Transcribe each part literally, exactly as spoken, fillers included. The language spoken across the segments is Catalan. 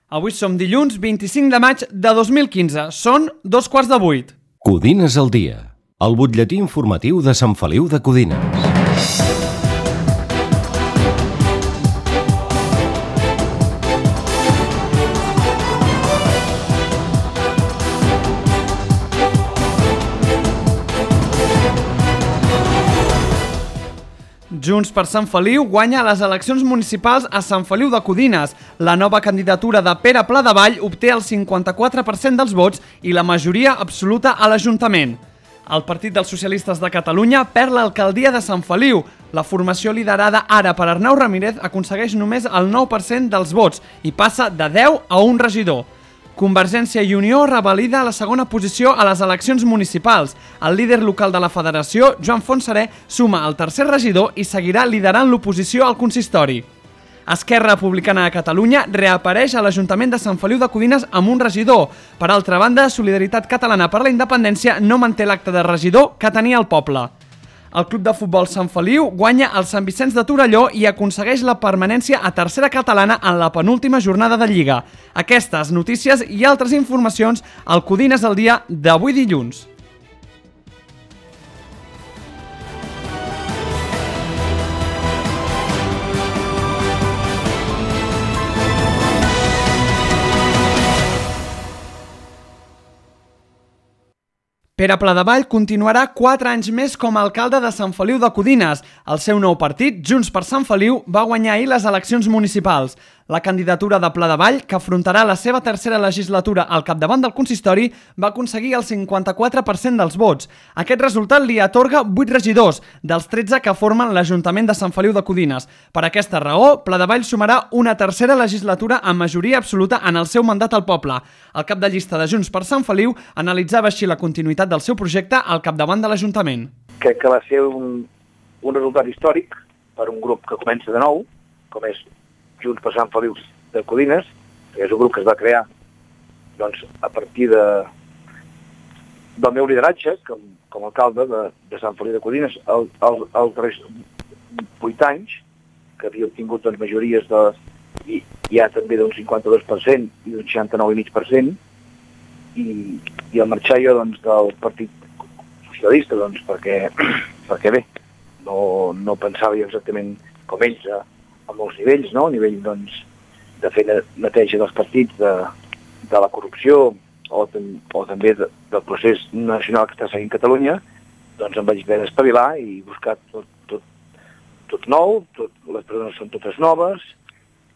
Avui som dilluns vint-i-cinc de maig de dos mil quinze. Són dos quarts de vuit. Codines al dia, el butlletí informatiu de Sant Feliu de Codines. Junts per Sant Feliu guanya les eleccions municipals a Sant Feliu de Codines. La nova candidatura de Pere Pladevall obté el cinquanta-quatre per cent dels vots i la majoria absoluta a l'Ajuntament. El Partit dels Socialistes de Catalunya perd l'alcaldia de Sant Feliu. La formació liderada ara per Arnau Ramírez aconsegueix només el nou per cent dels vots i passa de deu a un regidor. Convergència i Unió revalida la segona posició a les eleccions municipals. El líder local de la federació, Joan Fontserè, suma el tercer regidor i seguirà liderant l'oposició al consistori. Esquerra Republicana de Catalunya reapareix a l'Ajuntament de Sant Feliu de Codines amb un regidor. Per altra banda, Solidaritat Catalana per la Independència no manté l'acte de regidor que tenia el poble. El Club de Futbol Sant Feliu guanya el Sant Vicenç de Torelló i aconsegueix la permanència a tercera catalana en la penúltima jornada de Lliga. Aquestes notícies i altres informacions al Codines al dia d'avui dilluns. Pere Pladevall continuarà quatre anys més com a alcalde de Sant Feliu de Codines. El seu nou partit, Junts per Sant Feliu, va guanyar ahir les eleccions municipals. La candidatura de Pladevall, que afrontarà la seva tercera legislatura al capdavant del consistori, va aconseguir el cinquanta-quatre per cent dels vots. Aquest resultat li atorga vuit regidors, dels tretze que formen l'Ajuntament de Sant Feliu de Codines. Per aquesta raó, Pladevall sumarà una tercera legislatura amb majoria absoluta en el seu mandat al poble. El cap de llista de Junts per Sant Feliu analitzava així la continuïtat del seu projecte al capdavant de l'Ajuntament. Crec que va ser un, un resultat històric per un grup que comença de nou, com és Junts per Sant Feliu de Codines, que és un grup que es va crear doncs, a partir de, del meu lideratge com, com a alcalde de, de Sant Feliu de Codines els el, el darrers vuit anys, que havia obtingut doncs, majories de, i, ja també d'un cinquanta-dos per cent i d'un seixanta-nou coma cinc per cent, i, i al marxar jo doncs, del Partit Socialista, doncs, perquè, perquè bé, no, no pensava jo exactament com ells a, a molts nivells, no? A nivell doncs, de fer neteja dels partits, de, de la corrupció o, o també de, del procés nacional que està seguint Catalunya, doncs em vaig haver d'espavilar i buscar tot, tot, tot nou, tot, les persones són totes noves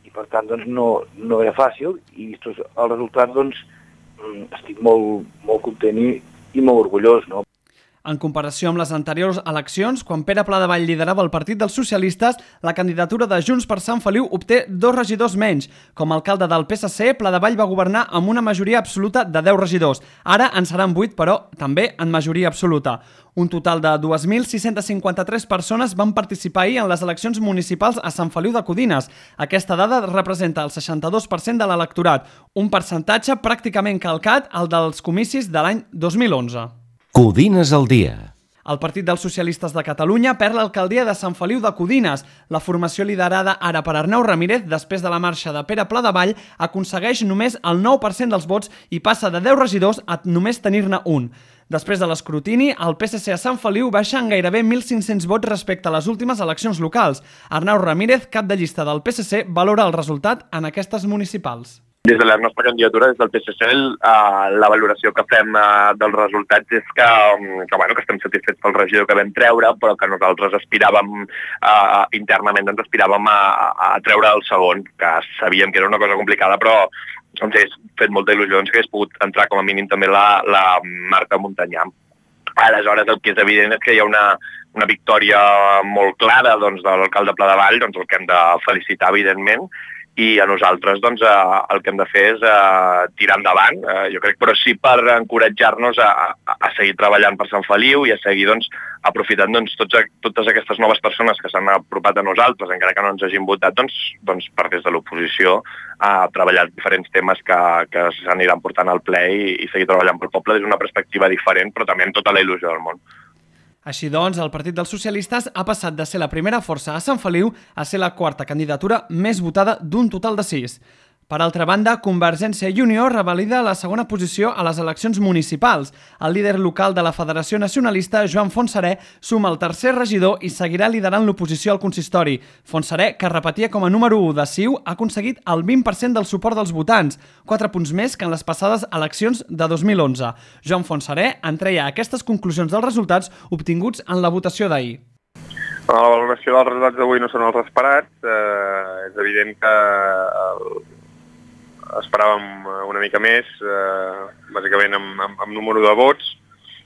i per tant doncs, no, no era fàcil i vist el resultat doncs, estic molt, molt content i, i molt orgullós, no? En comparació amb les anteriors eleccions, quan Pere Pladevall liderava el Partit dels Socialistes, la candidatura de Junts per Sant Feliu obté dos regidors menys. Com a alcalde del P S C, Pladevall va governar amb una majoria absoluta de deu regidors. Ara en seran vuit, però també en majoria absoluta. Un total de dues mil sis-centes cinquanta-tres persones van participar ahir en les eleccions municipals a Sant Feliu de Codines. Aquesta dada representa el seixanta-dos per cent de l'electorat, un percentatge pràcticament calcat al dels comicis de l'any dos mil onze. Codines al dia. El Partit dels Socialistes de Catalunya perd l'alcaldia de Sant Feliu de Codines. La formació liderada ara per Arnau Ramírez, després de la marxa de Pere Pladevall, aconsegueix només el nou per cent dels vots i passa de deu regidors a només tenir-ne un. Després de l'escrutini, el P S C a Sant Feliu baixa en gairebé mil cinc-cents vots respecte a les últimes eleccions locals. Arnau Ramírez, cap de llista del P S C, valora el resultat en aquestes municipals. Des de la nostra candidatura, des del P S C, la valoració que fem dels resultats és que, que, bueno, que estem satisfets pel regidor que vam treure, però que nosaltres aspiràvem, eh, internament ens aspiràvem a, a treure el segon, que sabíem que era una cosa complicada, però ens hagués fet molta il·lusió doncs, que hagués pogut entrar com a mínim també la, la Marta Montanyà. Aleshores, el que és evident és que hi ha una, una victòria molt clara doncs, de l'alcalde Pladevall, doncs, el que hem de felicitar, evidentment, i a nosaltres doncs, eh, el que hem de fer és eh, tirar endavant, eh, jo crec, però sí per encoratjar-nos a, a, a seguir treballant per Sant Feliu i a seguir doncs, aprofitant doncs, tots, totes aquestes noves persones que s'han apropat a nosaltres, encara que no ens hagin votat, doncs, doncs per des de l'oposició a treballar diferents temes que, que s'aniran portant al ple i, i seguir treballant pel poble des d'una perspectiva diferent, però també amb tota la il·lusió del món. Així doncs, el Partit dels Socialistes ha passat de ser la primera força a Sant Feliu a ser la quarta candidatura més votada d'un total de sis. Per altra banda, Convergència i Unió revalida la segona posició a les eleccions municipals. El líder local de la Federació Nacionalista, Joan Fontserè, suma el tercer regidor i seguirà liderant l'oposició al consistori. Fontserè, que repetia com a número u de C I U, ha aconseguit el vint per cent del suport dels votants, quatre punts més que en les passades eleccions de dos mil onze. Joan Fontserè en treia aquestes conclusions dels resultats obtinguts en la votació d'ahir. La valoració dels resultats d'avui no són els esperats. Eh, és evident que el esperàvem una mica més, eh, bàsicament amb, amb, amb número de vots,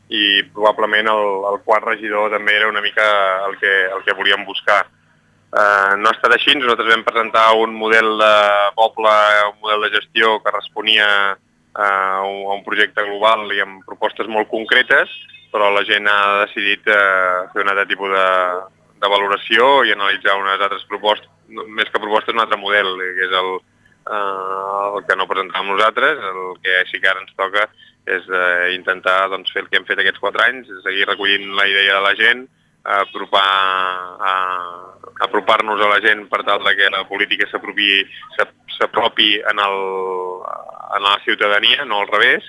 i probablement el, el quart regidor també era una mica el que, el que volíem buscar. Eh, no ha estat així, nosaltres vam presentar un model de poble, un model de gestió que responia a un, a un projecte global i amb propostes molt concretes, però la gent ha decidit eh, fer un altre tipus de, de valoració i analitzar unes altres propostes, més que propostes, un altre model, que és el Uh, el que no presentàvem nosaltres. El que sí que ara ens toca és uh, intentar doncs, fer el que hem fet aquests quatre anys, seguir recollint la idea de la gent, apropar, uh, apropar-nos a la gent per tal que la política s'apropi en, el, en la ciutadania, no al revés,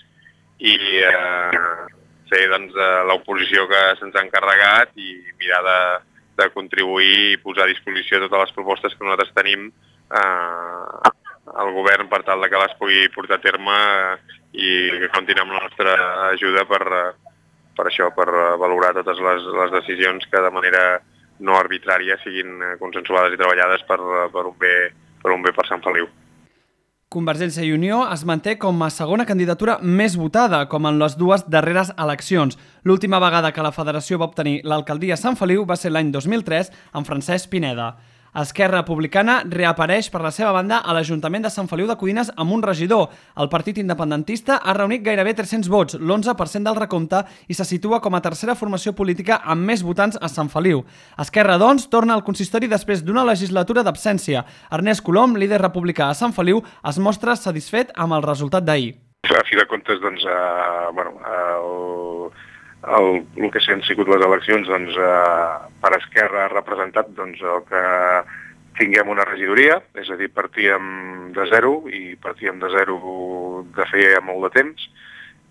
i uh, fer doncs, l'oposició que se'ns ha encarregat i mirar de, de contribuir i posar a disposició totes les propostes que nosaltres tenim uh, al govern per tal que les pugui portar a terme i que comptin amb la nostra ajuda per, per això, per valorar totes les, les decisions que de manera no arbitrària siguin consensuades i treballades per, per, un, bé, per un bé per Sant Feliu. Convergència i Unió es manté com a segona candidatura més votada, com en les dues darreres eleccions. L'última vegada que la Federació va obtenir l'alcaldia a Sant Feliu va ser l'any dos mil tres amb Francesc Pineda. Esquerra Republicana reapareix per la seva banda a l'Ajuntament de Sant Feliu de Codines amb un regidor. El partit independentista ha reunit gairebé tres-cents vots, l'onze per cent del recompte, i se situa com a tercera formació política amb més votants a Sant Feliu. Esquerra, doncs, torna al consistori després d'una legislatura d'absència. Ernest Colom, líder republicà a Sant Feliu, es mostra satisfet amb el resultat d'ahir. A fi de comptes, doncs, eh, bueno, el... El, el que han sigut les eleccions, doncs, eh, per Esquerra ha representat doncs, el que tinguem una regidoria, és a dir, partíem de zero i partíem de zero de feia molt de temps,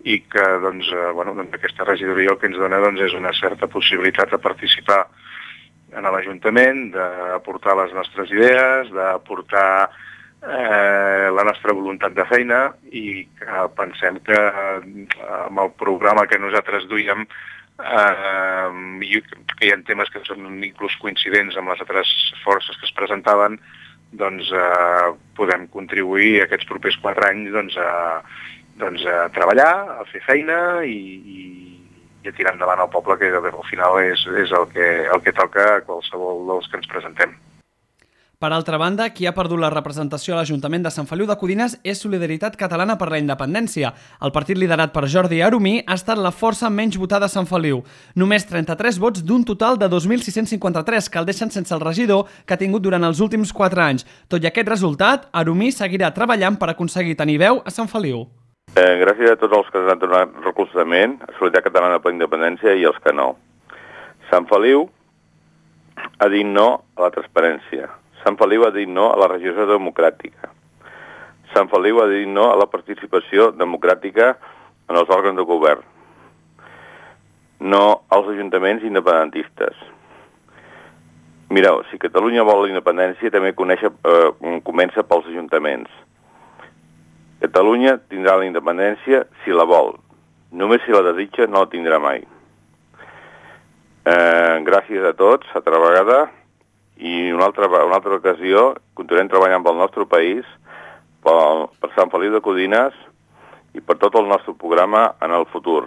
i que doncs, eh, bueno, doncs, aquesta regidoria el que ens dona doncs, és una certa possibilitat de participar en l'Ajuntament, d'aportar les nostres idees, d'aportar Eh, la nostra voluntat de feina, i que pensem que eh, amb el programa que nosaltres duíem eh, hi, hi ha temes que són inclús coincidents amb les altres forces que es presentaven, doncs eh, podem contribuir aquests propers quatre anys doncs, a, doncs, a treballar, a fer feina i, i, i a tirar endavant el poble, que al final és, és el, que, el que toca a qualsevol dels que ens presentem. Per altra banda, qui ha perdut la representació a l'Ajuntament de Sant Feliu de Codines és Solidaritat Catalana per la Independència. El partit liderat per Jordi Arumí ha estat la força menys votada a Sant Feliu. Només trenta-tres vots d'un total de dos mil sis-cents cinquanta-tres, que el deixen sense el regidor que ha tingut durant els últims quatre anys. Tot i aquest resultat, Arumí seguirà treballant per aconseguir tenir veu a Sant Feliu. Eh, gràcies a tots els que han donat recolzament, a Solidaritat Catalana per la Independència i els que no. Sant Feliu ha dit no a la transparència. Sant Feliu ha dit no a la regió democràtica. Sant Feliu ha dit no a la participació democràtica en els òrgans de govern. No als ajuntaments independentistes. Mireu, si Catalunya vol la independència, també conèixer, eh, comença pels ajuntaments. Catalunya tindrà la independència si la vol. Només si la desitja no la tindrà mai. Eh, gràcies a tots, altra vegada, i una altra, una altra ocasió continuem treballant pel nostre país, per, per Sant Feliu de Codines i per tot el nostre programa en el futur.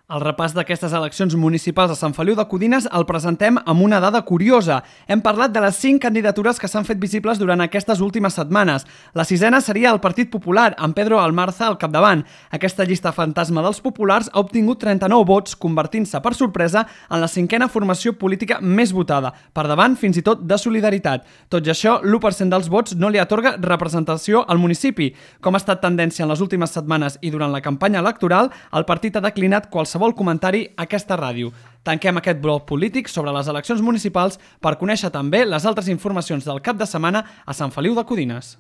El repàs d'aquestes eleccions municipals a Sant Feliu de Codines el presentem amb una dada curiosa. Hem parlat de les cinc candidatures que s'han fet visibles durant aquestes últimes setmanes. La sisena seria el Partit Popular, amb Pedro Almarza al capdavant. Aquesta llista fantasma dels populars ha obtingut trenta-nou vots, convertint-se per sorpresa en la cinquena formació política més votada, per davant fins i tot de Solidaritat. Tot i això, l'u per cent dels vots no li atorga representació al municipi. Com ha estat tendència en les últimes setmanes i durant la campanya electoral, el partit ha declinat qualsevol qualsevol comentari a aquesta ràdio. Tanquem aquest bloc polític sobre les eleccions municipals per conèixer també les altres informacions del cap de setmana a Sant Feliu de Codines.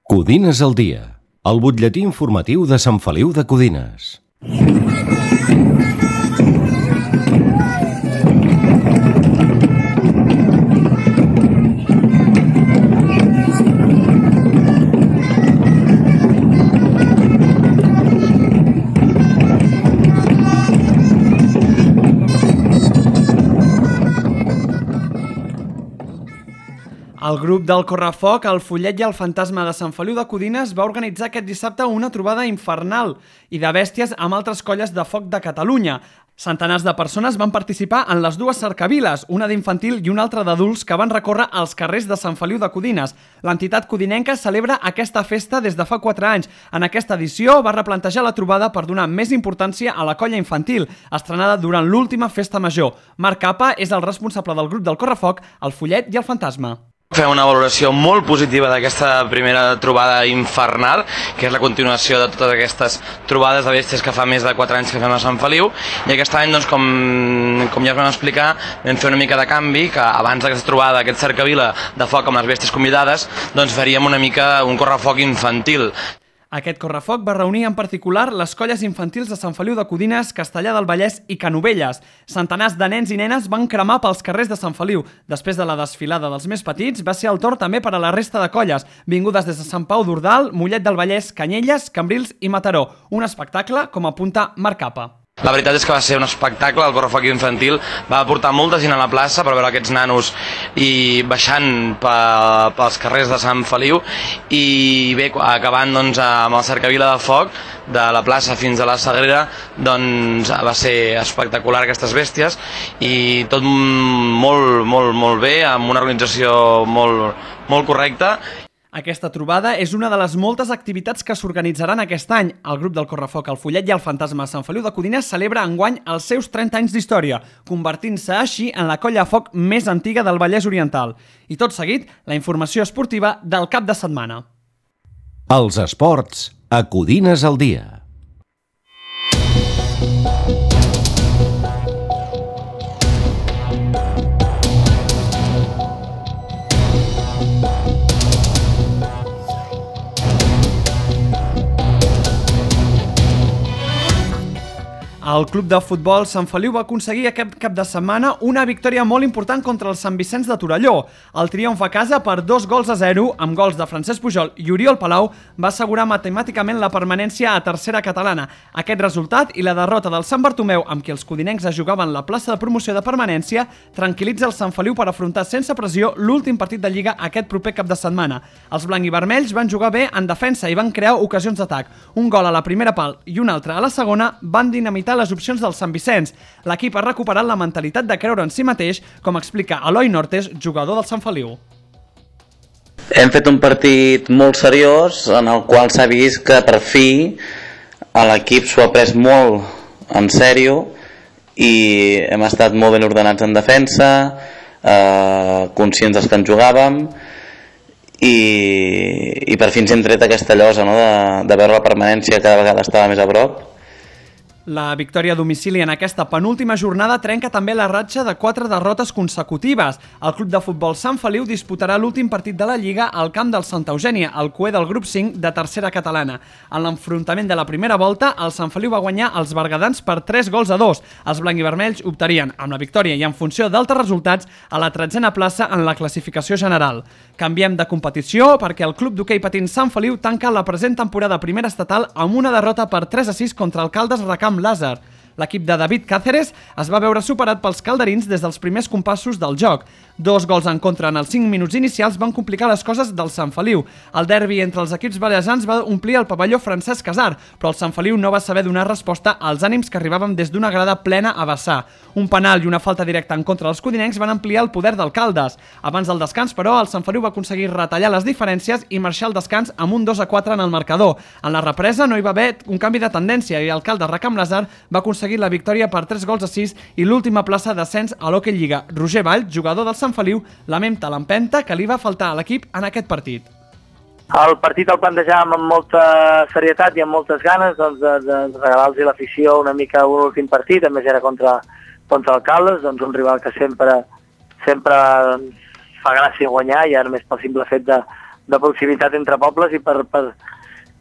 Codines al dia, el butlletí informatiu de Sant Feliu de Codines. El grup del Correfoc, el Follet i el Fantasma de Sant Feliu de Codines va organitzar aquest dissabte una trobada infernal i de bèsties amb altres colles de foc de Catalunya. Centenars de persones van participar en les dues cercaviles, una d'infantil i una altra d'adults, que van recórrer els carrers de Sant Feliu de Codines. L'entitat codinenca celebra aquesta festa des de fa quatre anys. En aquesta edició va replantejar la trobada per donar més importància a la colla infantil, estrenada durant l'última festa major. Marc Capa és el responsable del grup del Correfoc, el Follet i el Fantasma. Fem una valoració molt positiva d'aquesta primera trobada infernal, que és la continuació de totes aquestes trobades de bèsties que fa més de quatre anys que fem a Sant Feliu, i aquest any, doncs, com, com ja us vam explicar, vam fer una mica de canvi, que abans d'aquesta trobada, aquest cercavila de foc amb les bèsties convidades, doncs faríem una mica un correfoc infantil. Aquest correfoc va reunir en particular les colles infantils de Sant Feliu de Codines, Castellar del Vallès i Canovelles. Centenars de nens i nenes van cremar pels carrers de Sant Feliu. Després de la desfilada dels més petits, va ser el torn també per a la resta de colles, vingudes des de Sant Pau d'Ordal, Mollet del Vallès, Canyelles, Cambrils i Mataró. Un espectacle, com apunta Marc Capa. La veritat és que va ser un espectacle, el correfoc infantil va portar molta gent a la plaça per veure aquests nanos i baixant pels carrers de Sant Feliu, i bé, acabant doncs, amb el cercavila de foc de la plaça fins a la Sagrera, doncs va ser espectacular aquestes bèsties, i tot molt, molt, molt bé, amb una organització molt, molt correcta. Aquesta trobada és una de les moltes activitats que s'organitzaran aquest any. El grup del Correfoc, el Follet i el Fantasma de Sant Feliu de Codines celebra enguany els seus trenta anys d'història, convertint-se així en la colla de foc més antiga del Vallès Oriental. I tot seguit, la informació esportiva del cap de setmana. Els esports a Codines al dia. El club de futbol Sant Feliu va aconseguir aquest cap de setmana una victòria molt important contra el Sant Vicenç de Torelló. El triomf a casa per dos gols a zero, amb gols de Francesc Pujol i Oriol Palau, va assegurar matemàticament la permanència a tercera catalana. Aquest resultat i la derrota del Sant Bartomeu, amb qui els codinencs es jugaven la plaça de promoció de permanència, tranquil·litza el Sant Feliu per afrontar sense pressió l'últim partit de Lliga aquest proper cap de setmana. Els blanc i vermells van jugar bé en defensa i van crear ocasions d'atac. Un gol a la primera pal i un altre a la segona van dinamitar les opcions del Sant Vicenç. L'equip ha recuperat la mentalitat de creure en si mateix, com explica Eloi Nortes, jugador del Sant Feliu. Hem fet un partit molt seriós en el qual s'ha vist que per fi l'equip s'ho ha pres molt en sèrio i hem estat molt ben ordenats en defensa, eh, conscients dels que ens jugàvem, i, i per fi ens hem tret aquesta llosa, no? de, de veure la permanència cada vegada estava més a prop. La victòria a domicili en aquesta penúltima jornada trenca també la ratxa de quatre derrotes consecutives. El club de futbol Sant Feliu disputarà l'últim partit de la Lliga al camp del Santa Eugènia, el cué del grup cinc de tercera catalana. En l'enfrontament de la primera volta, el Sant Feliu va guanyar els bergadans per tres gols a dos. Els blanc i vermells optarien, amb la victòria i en funció d'altres resultats, a la tretzena plaça en la classificació general. Canviem de competició perquè el club d'hoquei patins Sant Feliu tanca la present temporada primera estatal amb una derrota per tres a sis contra el Caldes Recamp Lázar. L'equip de David Cáceres es va veure superat pels calderins des dels primers compassos del joc. Dos gols en contra en els cinc minuts inicials van complicar les coses del Sant Feliu. El derbi entre els equips balearsans va omplir el pavelló Francesc Casar, però el Sant Feliu no va saber donar resposta als ànims que arribaven des d'una grada plena a vessar. Un penal i una falta directa en contra dels codinencs van ampliar el poder del Caldes. Abans del descans, però, el Sant Feliu va aconseguir retallar les diferències i marxar al descans amb un dos a quatre en el marcador. En la represa no hi va haver un canvi de tendència i el Caldes Recamp Lázar va aconseguir la victòria per tres gols a sis i l'última plaça d'ascens a l'Hockey Lliga. Roger Vall, jugador del Sant Feliu, lamenta l'empenta que li va faltar a l'equip en aquest partit. El partit el plantejàvem amb molta serietat i amb moltes ganes doncs, de, de regalar-los l'afició una mica un últim partit, a més era contra, contra el Caldes, doncs un rival que sempre, sempre fa gràcia guanyar, i ara més pel simple fet de, de proximitat entre pobles, i per, per,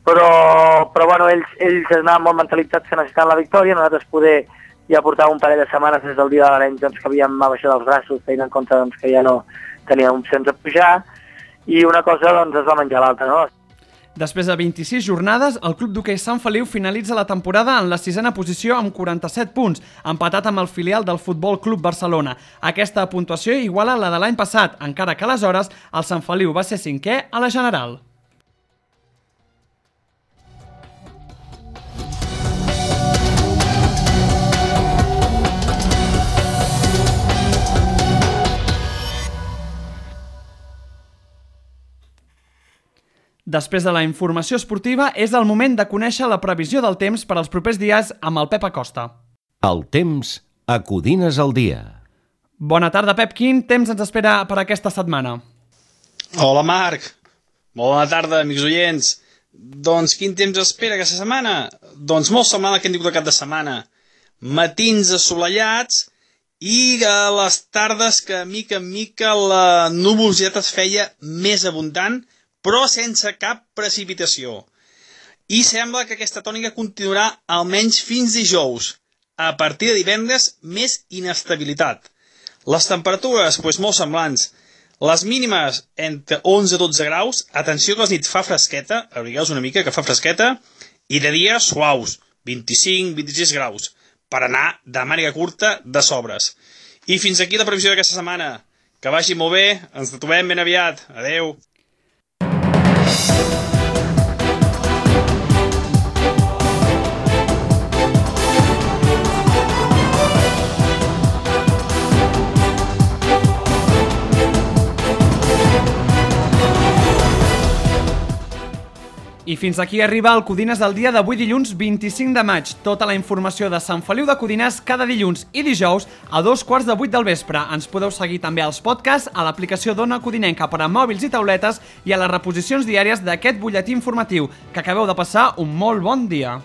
però, però bueno, ells, ells anaven molt mentalitzats que necessitaven la victòria. Nosaltres poder ja portàvem un parell de setmanes des del dia de l'Arenys doncs, que havíem abaixat els braços, tenint en compte doncs, que ja no teníem opcions de pujar, i una cosa doncs, es va menjar l'altra, no? Després de vint-i-sis jornades, el Club d'Hoquei Sant Feliu finalitza la temporada en la sisena posició amb quaranta-set punts, empatat amb el filial del Futbol Club Barcelona. Aquesta puntuació iguala la de l'any passat, encara que aleshores el Sant Feliu va ser cinquè a la general. Després de la informació esportiva, és el moment de conèixer la previsió del temps per als propers dies amb el Pep Acosta. El temps a Codines al dia. Bona tarda, Pep. Quin temps ens espera per aquesta setmana? Hola, Marc. Molt bona tarda, amics oients. Doncs quin temps espera aquesta setmana? Doncs molt semblant al que hem dit de cap de setmana. Matins assolellats i a les tardes que mica en mica la nuvolositat es feia més abundant, però sense cap precipitació. I sembla que aquesta tònica continuarà almenys fins dijous. A partir de divendres, més inestabilitat. Les temperatures, doncs, molt semblants. Les mínimes entre onze a dotze graus, atenció que a les nits fa fresqueta, abrigueu-vos una mica que fa fresqueta, i de dia suaus, vint-i-cinc a vint-i-sis graus, per anar de màniga curta de sobres. I fins aquí la previsió d'aquesta setmana. Que vagi molt bé, ens trobem ben aviat. Adeu. I fins aquí arriba el Codines del dia d'avui dilluns vint-i-cinc de maig. Tota la informació de Sant Feliu de Codines cada dilluns i dijous a dos quarts de vuit del vespre. Ens podeu seguir també als podcasts, a l'aplicació d'Ona Codinenca per a mòbils i tauletes i a les reposicions diàries d'aquest butlletí informatiu. Que acabeu de passar un molt bon dia.